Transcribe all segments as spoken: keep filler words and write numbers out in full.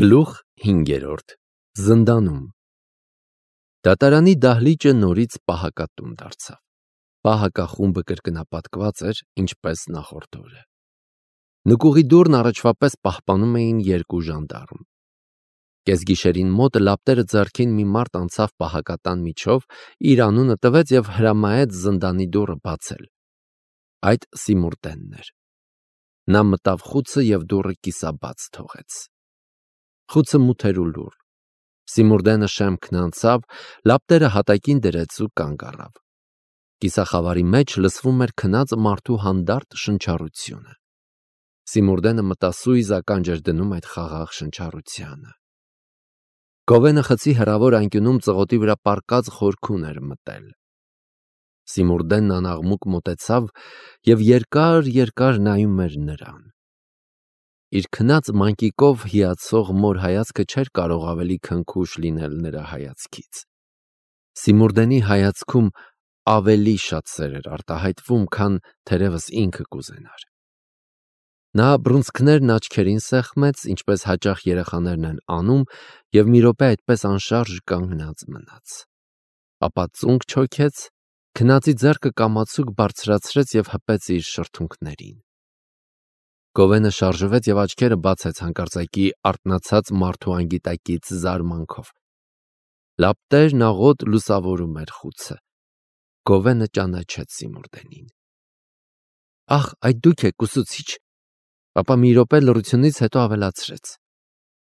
Գլուխ հինգերորդ Զնդանում Դատարանի դահլիճը նորից պահակատուն դարձավ։ Պահակախումբը կրկնապատկված էր, ինչպես նախորդ օրը։ Նկուղի դուռն առաջվա պես պահպանում էին երկու ժանդարմ։ Կեսգիշերին մոտ լապտերը ձեռքին մի մարդ անցավ պահակատան միջով, իր անունը տվեց և հրամայեց զնդանի դուռը բացել։ Այդ Սիմուրդենն էր։ Նա մտավ խուցը և դուռը կիսաբաց թողեց։ Խուցը մութ էր ու լուռ։ Սիմուրդենը շեմքն անցավ, լապտերը հատակին դրեց ու կանգ առավ։ Կիսախավարի մեջ լսվում էր քնած մարդու հանդարտ շնչառությունը։ Սիմուրդենը մտասույզ ականջ էր դնում այդ խաղաղ շնչառությանը։ Գովենը խցի հեռավոր անկյունում ծղոտի վրա պառկած խորքուն էր մտել։ Սիմուրդենն անաղմուկ մոտեցավ և երկար-երկար նայում էր նրան։ Իր քնած մանկիկով հիացող մոր հայացքը չէր կարող ավելի քնքուշ լինել նրա հայացքից։ Սիմուրդենի հայացքում ավելի շատ սեր էր արտահայտվում, քան թերևս ինքը կուզենար։ Նա բռունցքներն աչքերին սեղմեց, ինչպես հաճախ երեխաներն են անում, և մի րոպե այդպես անշարժ կանգնած մնաց։ Ապա ծունկ չոքեց, քնածի ձեռքը կամացուկ բարձրացրեց և հպեց իր շրթունքներին։ Գովենը շարժվեց և աչքերը բացեց հանկարծակի արթնացած մարդու անգիտակից զարմանքով։ Լապտերն աղոտ լուսավորում էր խուցը։ Գովենը ճանաչեց Սիմուրդենին։ Ախ, այդ դուք եք, ուսուցիչ, ապա մի րոպե լռությունից հետո ավելացրեց.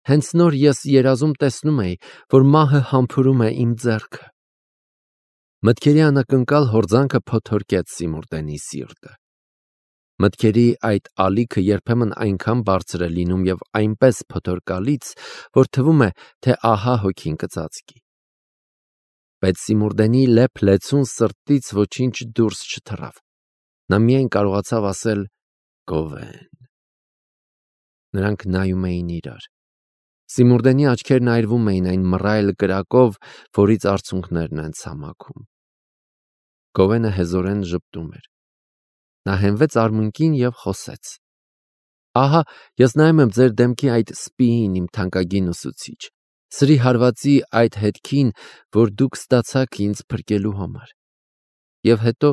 Հենց նոր ես երազում տեսնում էի, որ մահը համբուրում է իմ ձեռքը։ Մտքերի անակնկալ հորձանքը փոթորկեց Սիմուրդենի սիրտը։ Մտքերի այդ ալիքը երբեմն այնքան բարձր է լինում և այնպես փոթորկալից, որ թվում է, թե ահա հոգին կծածկի։ Բայց Սիմուրդենի լեփ-լեցուն սրտից ոչինչ դուրս չթռավ։ Նա միայն կարողացավ ասել. «Գովեն»։ Նրանք նայում էին իրար։ Սիմուրդենի աչքերն այրվում էին այն մռայլ կրակով, որից արցունքներն են ցամաքում։ Գովենը հեզորեն ժպտում էր։ Նա հենվեց արմունկին և խոսեց. Ահա, ես նայում եմ ձեր դեմքի այդ սպիին, իմ թանկագին ուսուցիչ, սրի հարվածի այդ հետքին, որ դուք ստացաք ինձ փրկելու համար։ Եվ հետո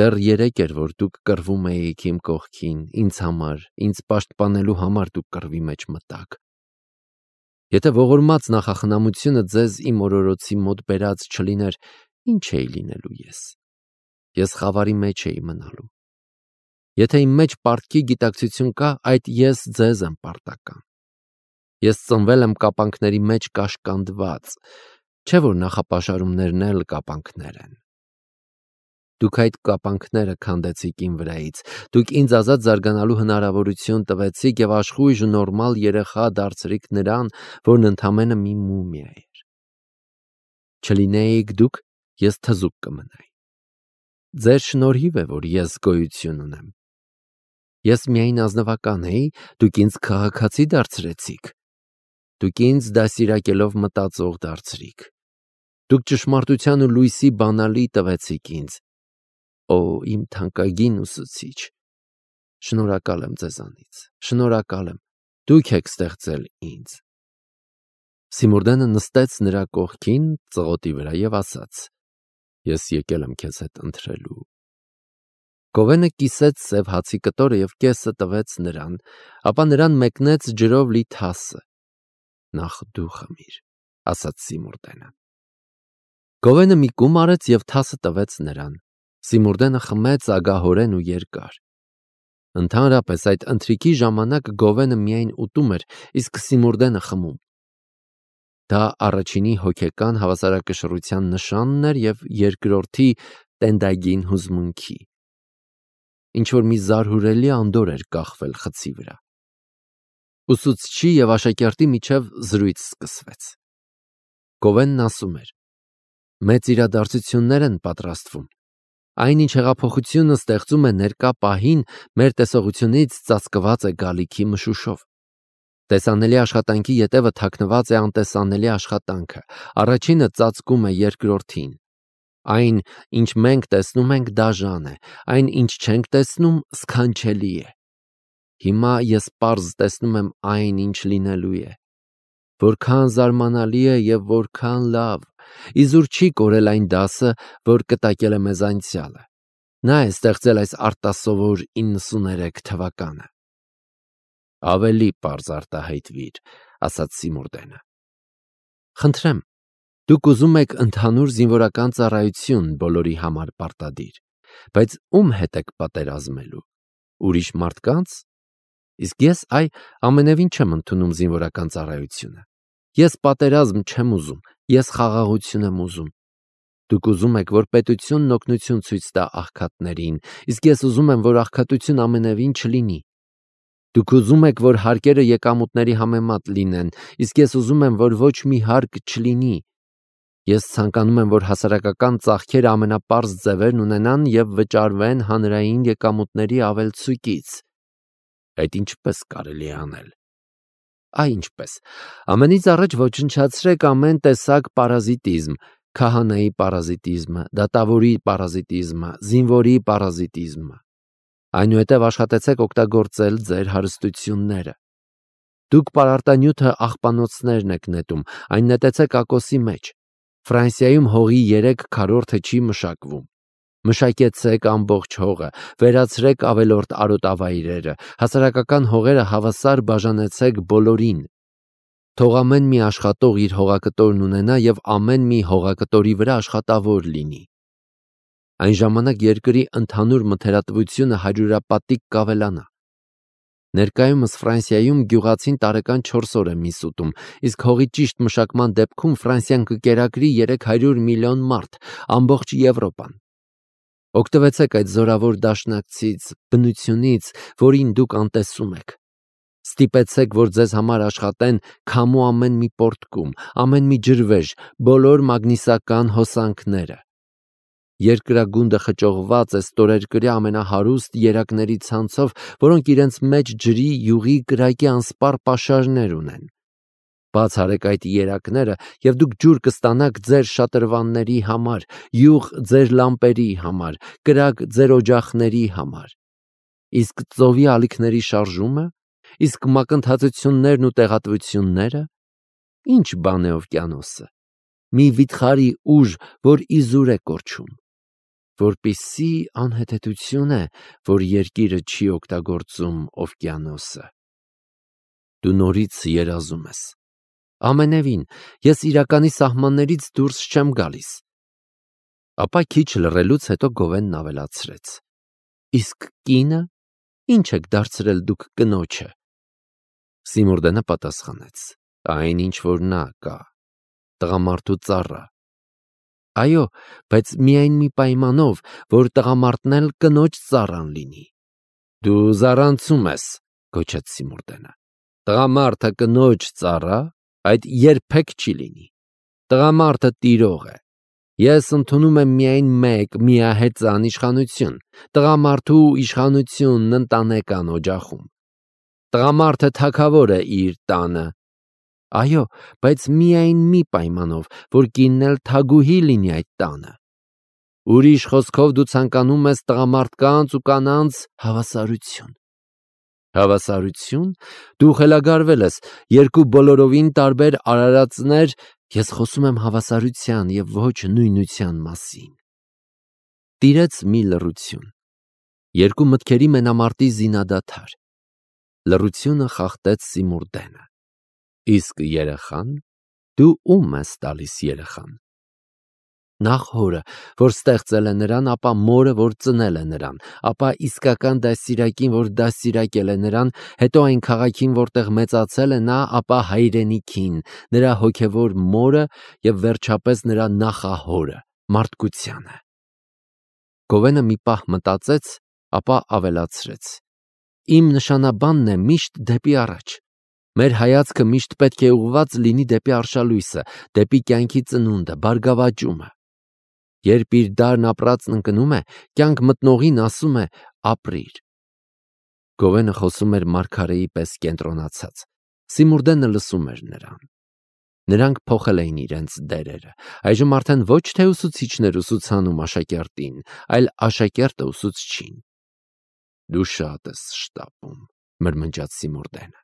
դեռ երեկ էր, որ դուք կռվում էիք իմ կողքին, ինձ համար, ինձ պաշտպանելու համար դուք կռվի մեջ մտաք։ Եթե ողորմած նախախնամությունը ձեզ իմ օրորոցի մոտ բերած չլիներ, ինչ էի լինելու ես։ Ես խավարի մեջ էի մնալու։ Եթե իմ մեջ պարտքի գիտակցություն կա, այդ ես ձեզ եմ պարտական։ Ես ծնվել եմ կապանքների մեջ կաշկանդված, չէ՞ որ նախապաշարումներն էլ կապանքներ են։ Դուք այդ կապանքները քանդեցիք իմ վրայից, դուք ինձ ազատ զարգանալու հնարավորություն տվեցիք և աշխույժ ու նորմալ երեխա դարձրիք նրան, որն ընդամենը մի մումիա էր։ Չլինեիք դուք, ես թզուկ կմնայի։ Ձեր շնորհիվ է, որ ես գոյություն ունեմ։ Ես միայն ազնվական էի, դուք ինձ քաղաքացի դարձրեցիք։ Դուք ինձ դաստիարակելով մտածող դարձրիք։ Դուք ճշմարտության ու լույսի բանալի տվեցիք ինձ։ Օ, իմ թանկագին ուսուցիչ, շնորհակալ եմ ձեզանից, շնորհակալ եմ, դուք եք ստեղծել ինձ։ Սիմուրդենը նստեց նրա կողքին ծղոտի վրա և ասաց. Ես եկել եմ քեզ հետ ընթրելու։ Գովենը կիսեց սև հացի կտորը և կեսը տվեց նրան, ապա նրան մեկնեց ջրով լի թասը։ Նախ դու խմիր, ասաց Սիմուրդենը։ Գովենը մի կում արեց և թասը տվեց նրան։ Սիմուրդենը խմեց ագահորեն ու երկար։ Ընդհանրապես այդ ընթրիքի ժամանակ Գովենը միայն ուտում էր, իսկ Սիմուրդենը խմում։ Դա առաջինի հոգեկան հավասարակշռության նշանն էր և երկրորդի տենդագին հուզմունքի։ Ինչ-որ մի զարհուրելի անդորր էր կախվել խցի վրա։ Ուսուցչի և աշակերտի միջև զրույց սկսվեց։ Գովենն ասում էր. Մեծ իրադարձություններ են պատրաստվում։ Այն, ինչ հեղափոխությունը ստեղծում է ներկա պահին, մեր տեսողությունից ծածկված է գալիքի մշուշով։ Տեսանելի աշխատանքի ետևը թաքնված է անտեսանելի աշխատանքը։ Առաջինը ծածկում է երկրորդին։ Այն, ինչ մենք տեսնում ենք, դաժան է, այն, ինչ չենք տեսնում, սքանչելի է։ Հիմա ես պարզ տեսնում եմ այն, ինչ լինելու է։ որքան զարմանալի է եւ որքան լավ։ Իզուր չի կորել այն դասը, որ կտակել է մեզ անցյալը։ Նա է ստեղծել այս արտասովոր իննսուներեք թվականը։ Ավելի պարզ արտահայտվիր, ասաց Սիմուրդենը։ Խնդրեմ, դուք ուզում եք ընդհանուր զինվորական ծառայություն բոլորի համար պարտադիր, բայց ում հետ եք պատերազմելու։ Ուրիշ մարդկանց։ Իսկ ես այ ամենևին չեմ ընդունում զինվորական ծառայությունը։ Ես պատերազմ չեմ ուզում, ես խաղաղություն եմ ուզում։ Դուք ուզում եք, որ պետությունն օգնություն ցույց տա աղքատներին, իսկ ես ուզում եմ, որ աղքատություն ամենևին չլինի։ Դուք ուզում եք, որ հարկերը եկամուտների համեմատ լինեն, իսկ ես ուզում եմ, որ ոչ մի հարկ չլինի։ Ես ցանկանում եմ, որ հասարակական ծախքերը ամենապարզ ձևերն ունենան եւ վճարվեն հանրային եկամուտների ավելցուկից։ Այդ ինչպես կարելի է անել։ Այ ինչպես։ Ամենից առաջ ոչնչացրեք ամեն տեսակ պարազիտիզմ, քահանայի պարազիտիզմը, դատավորի պարազիտիզմը, զինվորի պարազիտիզմը։ Այնուհետև աշխատեցեք օգտագործել ձեր հարստությունները։ Դուք պարարտանյութը աղբանոցներն եք նետում, այն նետեցեք ակոսի մեջ։ Ֆրանսիայում հողի երեք քառորդը չի մշակվում։ Մշակեցեք ամբողջ հողը, վերացրեք ավելորդ արոտավայրերը, հասարակական հողերը հավասար բաժանեցեք բոլորին։ Թող ամեն մի աշխատող իր հողակտորն ունենա եւ ամեն մի հողակտորի վրա աշխատավոր լինի։ Այն ժամանակ երկրի ընդհանուր մթերատվությունը հարյուրապատիկ կավելանա։ Ներկայումս Ֆրանսիայում գյուղացին տարեկան չորս օր է միս ուտում, իսկ հողի ճիշտ մշակման դեպքում Ֆրանսիան կկերակրի երեք հարյուր միլիոն մարդ, ամբողջ Եվրոպան։ Օգտվեցեք այդ զորավոր դաշնակցից, բնությունից, որին դուք անտեսում եք։ Ստիպեցեք, որ ձեզ համար աշխատեն քամու ամեն մի պորտկում, ամեն մի ջրվեժ, բոլոր մագնիսական հոսանքները։ Երկրագունդը խճողված է ստորերկրյա ամենահարուստ երակների ցանցով, որոնք իրենց մեջ ջրի, յուղի, կրակի անսպառ պաշարներ ունեն։ Բաց արեք այդ երակները, եւ դուք ջուր կստանաք ձեր շատրվանների համար, յուղ ձեր լամպերի համար, կրակ ձեր օջախների համար։ Իսկ ծովի ալիքների շարժումը, իսկ մակընթացություններն ու տեղատվությունները, ինչ բան է օվկիանոսը։ Մի վիթխարի ուժ, որ իզուր է կորչում։ Որպիսի անհեթեթություն է, որ երկիրը չի օգտագործում օվկիանոսը։ Դու նորից երազում ես։ Ամենևին, ես իրականի սահմաններից դուրս չեմ գալիս։ Ապա քիչ լռելուց հետո Գովենն ավելացրեց. Իսկ կինը, ինչ եք դարձրել դուք կնոջը։ Սիմուրդենը պատասխանեց. Այն ինչ որ նա կա, տղամարդու ծառա։ Այո, բայց միայն մի պայմանով, որ տղամարդն էլ կնոջ ծառան լինի։ Դու զառանցում ես, գոչեց Սիմուրդենը։ Տղամարդը կնոջ ծառա, այդ երբեք չի լինի։ Տղամարդը տիրող է։ Ես ընդունում եմ միայն մեկ միահեծան իշխանություն, տղամարդու իշխանությունն ընտանեկան օջախում։ Տղամարդը թագավոր է իր տանը։ Այո, բայց միայն մի պայմանով, որ կինն էլ թագուհի լինի այդ տանը։ Ուրիշ խոսքով դու ցանկանում ես տղամարդկանց ու կանանց հավասարություն։ Հավասարություն։ Դու խելագարվել ես, երկու բոլորովին տարբեր արարածներ, ես խոսում եմ հավասարության եւ ոչ նույնության մասին։ Տիրեց մի լռություն։ Երկու մտքերի մենամարտի զինադադար։ Լռությունը խախտեց Սիմուրդենը։ Իսկ երեխան, դու ում ես տալիս երեխան։ Նախ հորը, որ ստեղծել է նրան, ապա մորը, որ ծնել է նրան, ապա իսկական դաստիարակին, որ դաստիարակել է նրան, հետո այն քաղաքին, որտեղ մեծացել է նա, ապա հայրենիքին, նրա հոգևոր մորը եւ վերջապես նրա նախահորը, մարդկությանը։ Գովենը մի պահ մտածեց, ապա ավելացրեց. Իմ նշանաբանն է միշտ դեպի առաջ։ Մեր հայացքը միշտ պետք է ուղղված լինի դեպի արշալույսը, դեպի կյանքի ծնունդը, բարգավաճումը։ Երբ իր դարն ապրածն ընկնում է, կյանք մտնողին ասում է ապրիր։ Գովենը խոսում էր մարգարեի պես կենտրոնացած։ Սիմուրդենը լսում էր նրան։ Նրանք փոխել էին իրենց դերերը։ Այժմ արդեն ոչ թե ուսուցիչներ ուսուցանում աշակերտին, այլ աշակերտը ուսուցչին։ Դու շատ ես շտապում, մրմնջաց Սիմուրդենը։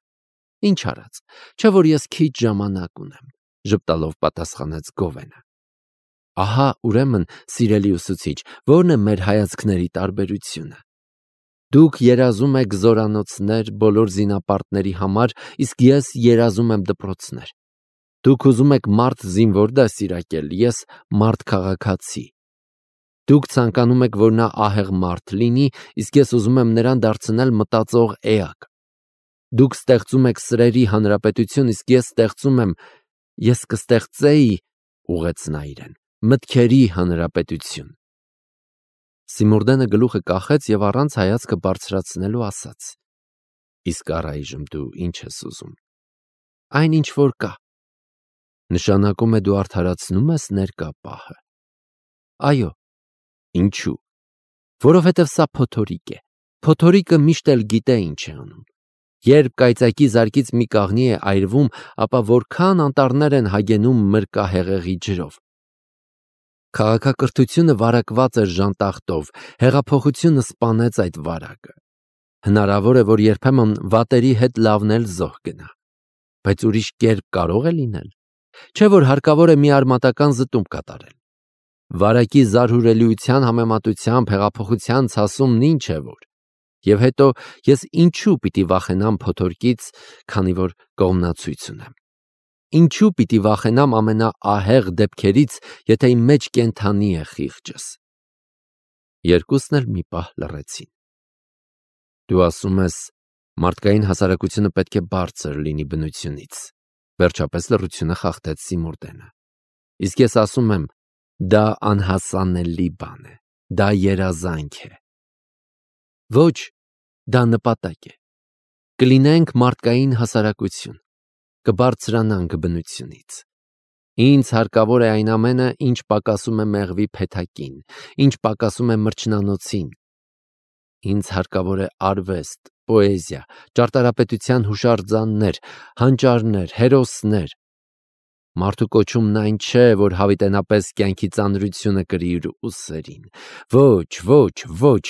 Ինչ արած, չէ որ ես քիչ ժամանակ ունեմ, ժպտալով պատասխանեց Գովենը։ Ահա, ուրեմն, սիրելի ուսուցիչ, ո՞րն է մեր հայացքների տարբերությունը։ Դուք երազում եք զորանոցներ բոլոր զինապարտների համար, իսկ ես երազում եմ դպրոցներ։ Դուք ուզում եք մարդ զինվոր դաստիարակել, ես մարդ քաղաքացի։ Դուք ցանկանում եք, որ նա ահեղ մարդ լինի, իսկ ես ուզում եմ նրան դարձնել մտածող էակ։ Դուք ստեղծում եք սրերի հանրապետություն, իսկ ես ստեղծում եմ, ես կստեղծեի, ուղեց նա իրեն, մտքերի հանրապետություն։ Սիմուրդենը գլուխը կախեց և առանց հայացքը բարձրացնելու ասաց. Իսկ առայժմ դու ինչ ես ուզում։ Այն ինչ որ կա։ Նշանակում է դու արդարացնում ես ներկա պահը։ Այո։ Ինչու։ Որովհետև սա փոթորիկ է։ Փոթորիկը միշտ էլ գիտե ինչ է անում։ Երբ կայծակի զարկից մի կաղնի է այրվում, ապա որքան անտառներ են հագենում մրկա հեղեղի ջրով։ Քաղաքակրթությունը վարակված էր ժանտախտով, հեղափոխությունը սպանեց այդ վարակը։ Հնարավոր է, որ երբեմն վատերի հետ լավն էլ զոհ գնա։ Բայց ուրիշ կերպ կարող է լինել։ Չէ որ հարկավոր է մի արմատական զտում կատարել։ Վարակի զարհուրելիության համեմատությամբ հեղափոխության ցասումն ինչ է որ։ Եվ հետո ես ինչու պիտի վախենամ փոթորկից, քանի որ կողմնացույց ունեմ։ Ինչու պիտի վախենամ ամենաահեղ դեպքերից, եթե իմ մեջ կենդանի է խիղճս։ Երկուսն էլ մի պահ լռեցին։ Դու ասում ես, մարդկային հասարակությունը պետք է բարձր լինի բնությունից։ Վերջապես լռությունը խախտեց Սիմուրդենը։ Իսկ ես ասում եմ, դա անհասանելի բան է, դա երազանք է։ Ոչ, դա նպատակ է։ Կլինենք մարդկային հասարակություն, կբարձրանանք բնությունից։ Ինձ հարկավոր է այն ամենը, ինչ պակասում է մեղվի փեթակին, ինչ պակասում է մրջնանոցին։ Ինձ հարկավոր է արվեստ, պոեզիա, ճարտարապետության հուշարձաններ, հանճարներ, հերոսներ։ Մարդու կոչումն այն չէ, որ հավիտենապես կյանքի ծանրությունը կրի իր ուսերին։ Ոչ, ոչ, ոչ։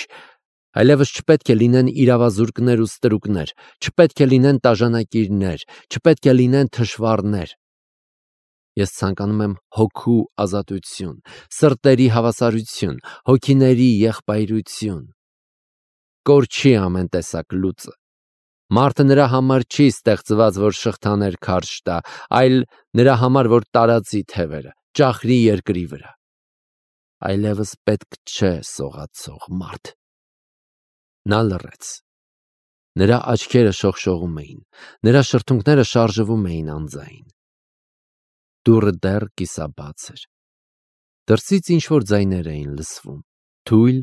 Այլևս չպետք է լինեն իրավազուրկներ ու ստրուկներ, չպետք է լինեն տաժանակիրներ, չպետք է լինեն թշվառներ։ Ես ցանկանում եմ հոգու ազատություն, սրտերի հավասարություն, հոգիների եղբայրություն։ Կորչի ամեն տեսակ լուծը։ Մարդը նրա համար չի ստեղծված, որ շղթաներ քարշ տա, այլ նրա համար, որ տարածի թևերը, ճախրի երկրի վրա։ Այլևս պետք չէ սողացող մարդ։ Նա լռեց։ Նրա աչքերը շողշողում էին, նրա շրթունքները շարժվում էին անձայն։ Դուռը դեռ կիսաբաց էր։ Դրսից ինչ-որ ձայներ էին լսվում, թույլ,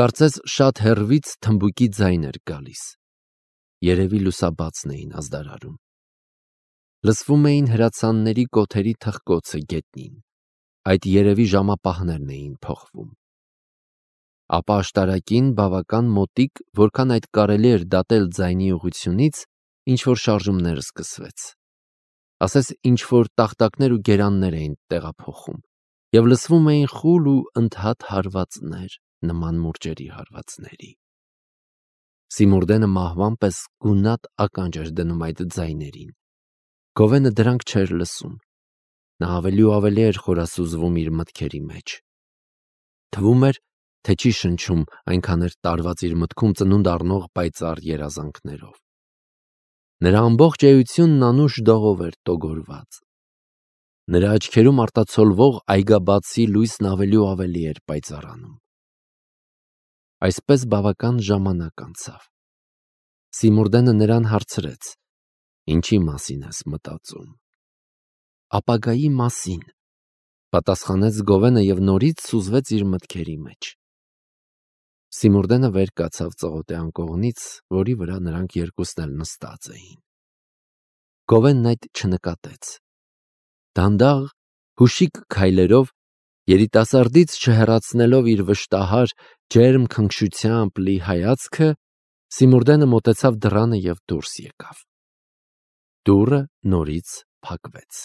կարծես շատ հեռվից թմբուկի ձայն էր գալիս։ Երևի լուսաբացն էին ազդարարում։ Լսվում էին հրացանների կոթերի թխկոցը գետնին, այդ երևի ժամապահներն էին փոխվում։ Ապա աշտարակին բավական մոտիկ, որքան այդ կարելի էր դատել ձայնի ուղղությունից, ինչ-որ շարժումներ սկսվեց։ Ասես ինչ-որ տախտակներ ու գերաններ էին տեղափոխում, և լսվում էին խուլ ու ընդհատ հարվածներ, նման մուրճերի հարվածների։ Սիմուրդենը մահվան պես գունատ ականջ էր դնում այդ ձայներին։ Գովենը դրանք չէր լսում։ Նա ավելի ու ավելի էր խորասուզվում իր մտքերի մեջ։ Թվում էր, թե չի շնչում, այնքան էր տարված իր մտքում ծնունդ առնող պայծառ երազանքներով։ Նրա ամբողջ էությունն անուշ դողով էր տոգորված։ Նրա աչքերում արտացոլվող այգաբացի լույսն ավելի ու ավելի էր պայծառանում։ Այսպես բավական ժամանակ անցավ։ Սիմուրդենը նրան հարցրեց. Ինչի մասին ես մտածում։ Ապագայի մասին, պատասխանեց Գովենը և նորից սուզվեց իր մտքերի մեջ։ Սիմուրդենը վեր կացավ ծղոտի անկողնից, որի վրա նրանք երկուսն էլ նստած էին։ Գովենն այդ չնկատեց։ Դանդաղ, հուշիկ քայլերով, երիտասարդից չհեռացնելով իր վշտահար, ջերմ քնքշությամբ լի հայացքը, Սիմուրդենը մոտեցավ դռանը և դուրս եկավ։ Դուռը նորից փակվեց։